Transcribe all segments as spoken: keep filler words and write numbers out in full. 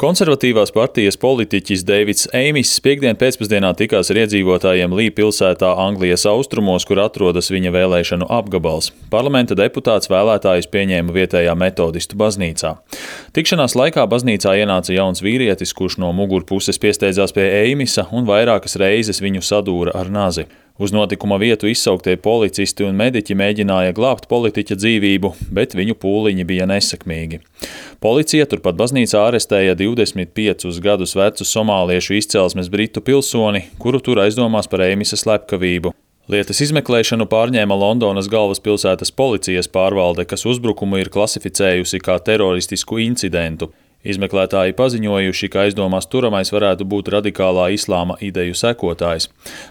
Konservatīvās partijas politiķis Deivids Eimis piekdien pēcpusdienā tikās ar iedzīvotājiem Lī pilsētā Anglijas austrumos, kur atrodas viņa vēlēšanu apgabals. Parlamenta deputāts vēlētājus pieņēma vietējā metodistu baznīcā. Tikšanās laikā baznīcā ienāca jauns vīrietis, kurš no mugurpuses piesteidzās pie Eimisa un vairākas reizes viņu sadūra ar nazi. Uz notikuma vietu izsauktie policisti un mediķi mēģināja glābt politiķa dzīvību, bet viņu pūliņi bija nesekmīgi. Policija turpat baznīcā arestēja divdesmit piecus gadus vecu somāliešu izcelsmes britu pilsoni, kuru tur aizdomās par Eimisa slepkavību. Lietas izmeklēšanu pārņēma Londonas galvaspilsētas policijas pārvalde, kas uzbrukumu ir klasificējusi kā teroristisku incidentu. Izmeklētāji paziņojuši, ka aizdomās turamais varētu būt radikālā islāma ideju sekotājs.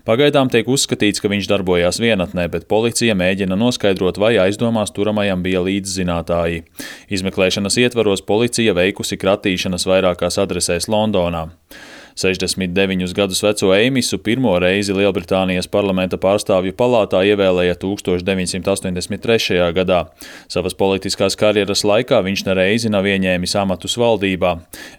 Pagaidām tiek uzskatīts, ka viņš darbojās vienatnē, bet policija mēģina noskaidrot, vai aizdomās turamajam bija līdzzinātāji. Izmeklēšanas ietvaros policija veikusi kratīšanas vairākās adresēs Londonā. sešdesmit deviņus gadus veco Eimisu pirmo reizi Lielbritānijas parlamenta pārstāvju palātā ievēlēja tūkstoš deviņsimt astoņdesmit trešajā gadā. Savas politiskās karjeras laikā viņš nereizi nav ieņēmis amatus valdībā.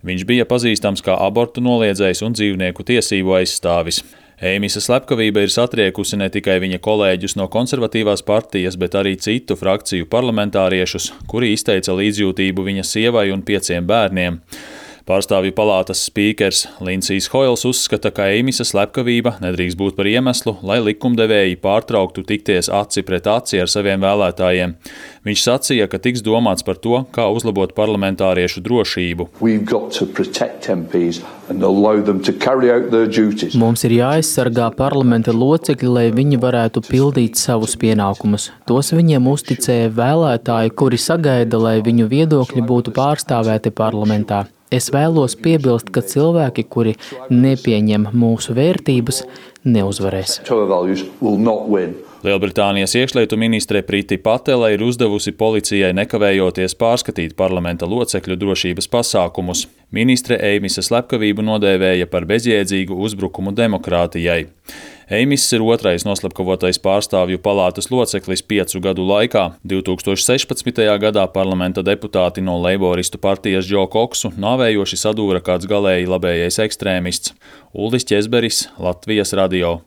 Viņš bija pazīstams kā abortu noliedzējs un dzīvnieku tiesību aizstāvis. Eimisa slepkavība ir satriekusi ne tikai viņa kolēģus no konservatīvās partijas, bet arī citu frakciju parlamentāriešus, kuri izteica līdzjūtību viņa sievai un pieciem bērniem. Pārstāvju palātas spīkers Lindsijs Hoils uzskata, ka Eimisa slepkavība nedrīkst būt par iemeslu, lai likumdevēji pārtrauktu tikties aci pret aci ar saviem vēlētājiem. Viņš sacīja, ka tiks domāts par to, kā uzlabot parlamentāriešu drošību. Mums ir jāaizsargā parlamenta locekļi, lai viņi varētu pildīt savus pienākumus. Tos viņiem uzticēja vēlētāji, kuri sagaida, lai viņu viedokļi būtu pārstāvēti parlamentā. Es vēlos piebilst, ka cilvēki, kuri nepieņem mūsu vērtības, neuzvarēs. Lielbritānijas iekšlietu ministre Priti Patela ir uzdevusi policijai nekavējoties pārskatīt parlamenta locekļu drošības pasākumus. Ministre Eimisa slepkavību nodēvēja par bezjēdzīgu uzbrukumu demokrātijai. Eimis ir otrais noslepkavotais pārstāvju palātas loceklis piecu gadu laikā. divi tūkstoši sešpadsmitajā gadā parlamenta deputāti no leiboristu partijas Džo Koksu nāvējoši sadūra kāds galēji labējais ekstrēmists. Uldis Ķezberis, Latvijas radio.